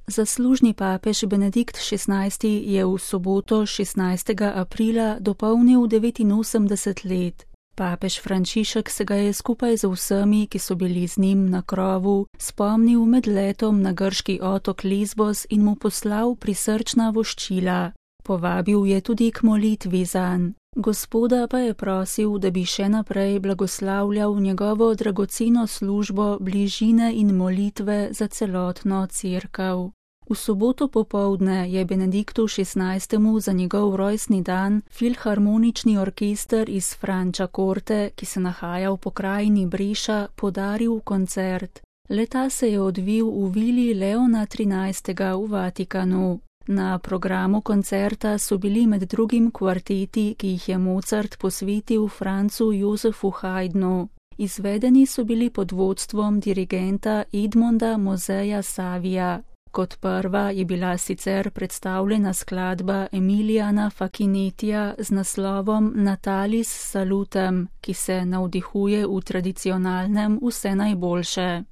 Zaslužni papež Benedikt XVI. Je v soboto 16. aprila dopolnil 89 let. Papež Frančišek se ga je skupaj z vsemi, ki so bili z njim na krovu, spomnil med letom na grški otok Lesbos in mu poslal prisrčna voščila. Povabil je tudi k molitvi zanj. Gospoda pa je prosil, da bi še naprej blagoslavljal njegovo dragoceno službo bližine in molitve za celotno cerkev. V soboto popoldne je Benediktu XVI. Za njegov rojstni dan filharmonični orkester iz Frančakorte, ki se nahaja v pokrajini Breša, podaril koncert. Le-ta se je odvil v vili Leona XIII. V Vatikanu. Na programu koncerta so bili med drugim kvarteti, ki jih je Mozart posvetil Francu Josefu Haydnu. Izvedeni so bili pod vodstvom dirigenta Edmonda Moseja Savija. Kot prva je bila sicer predstavljena skladba Emilijana Fakinetija z naslovom Natalis Salutem, ki se navdihuje v tradicionalnem Vse najboljše.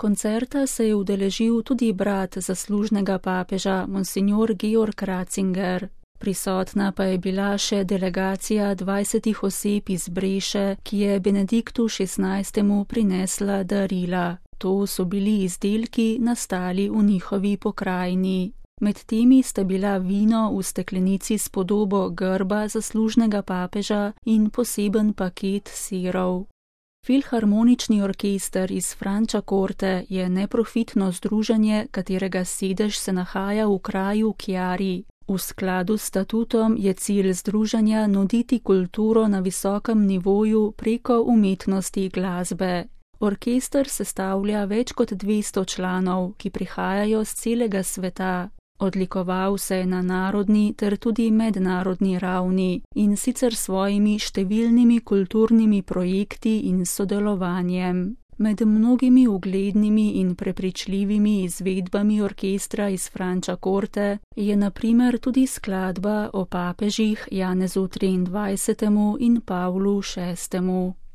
Koncerta se je udeležil tudi brat zaslužnega papeža, monsignor Georg Ratzinger. Prisotna pa je bila še delegacija 20 oseb iz Breše, ki je Benediktu XVI. Prinesla darila. To so bili izdelki, nastali v njihovi pokrajini. Med temi sta bila vino v steklenici s podobo grba zaslužnega papeža in poseben paket sirov. Filharmonični orkester iz Frančakorte je neprofitno združenje, katerega sedež se nahaja v kraju Chiari. V skladu s statutom je cilj združenja nuditi kulturo na visokem nivoju preko umetnosti glasbe. Orkester sestavlja več kot 200 članov, ki prihajajo z celega sveta. Odlikoval se je na narodni ter tudi mednarodni ravni in sicer svojimi številnimi kulturnimi projekti in sodelovanjem. Med mnogimi uglednimi in prepričljivimi izvedbami orkestra iz Frančakorte je na primer tudi skladba o papežih Janezu XXIII. In Pavlu VI.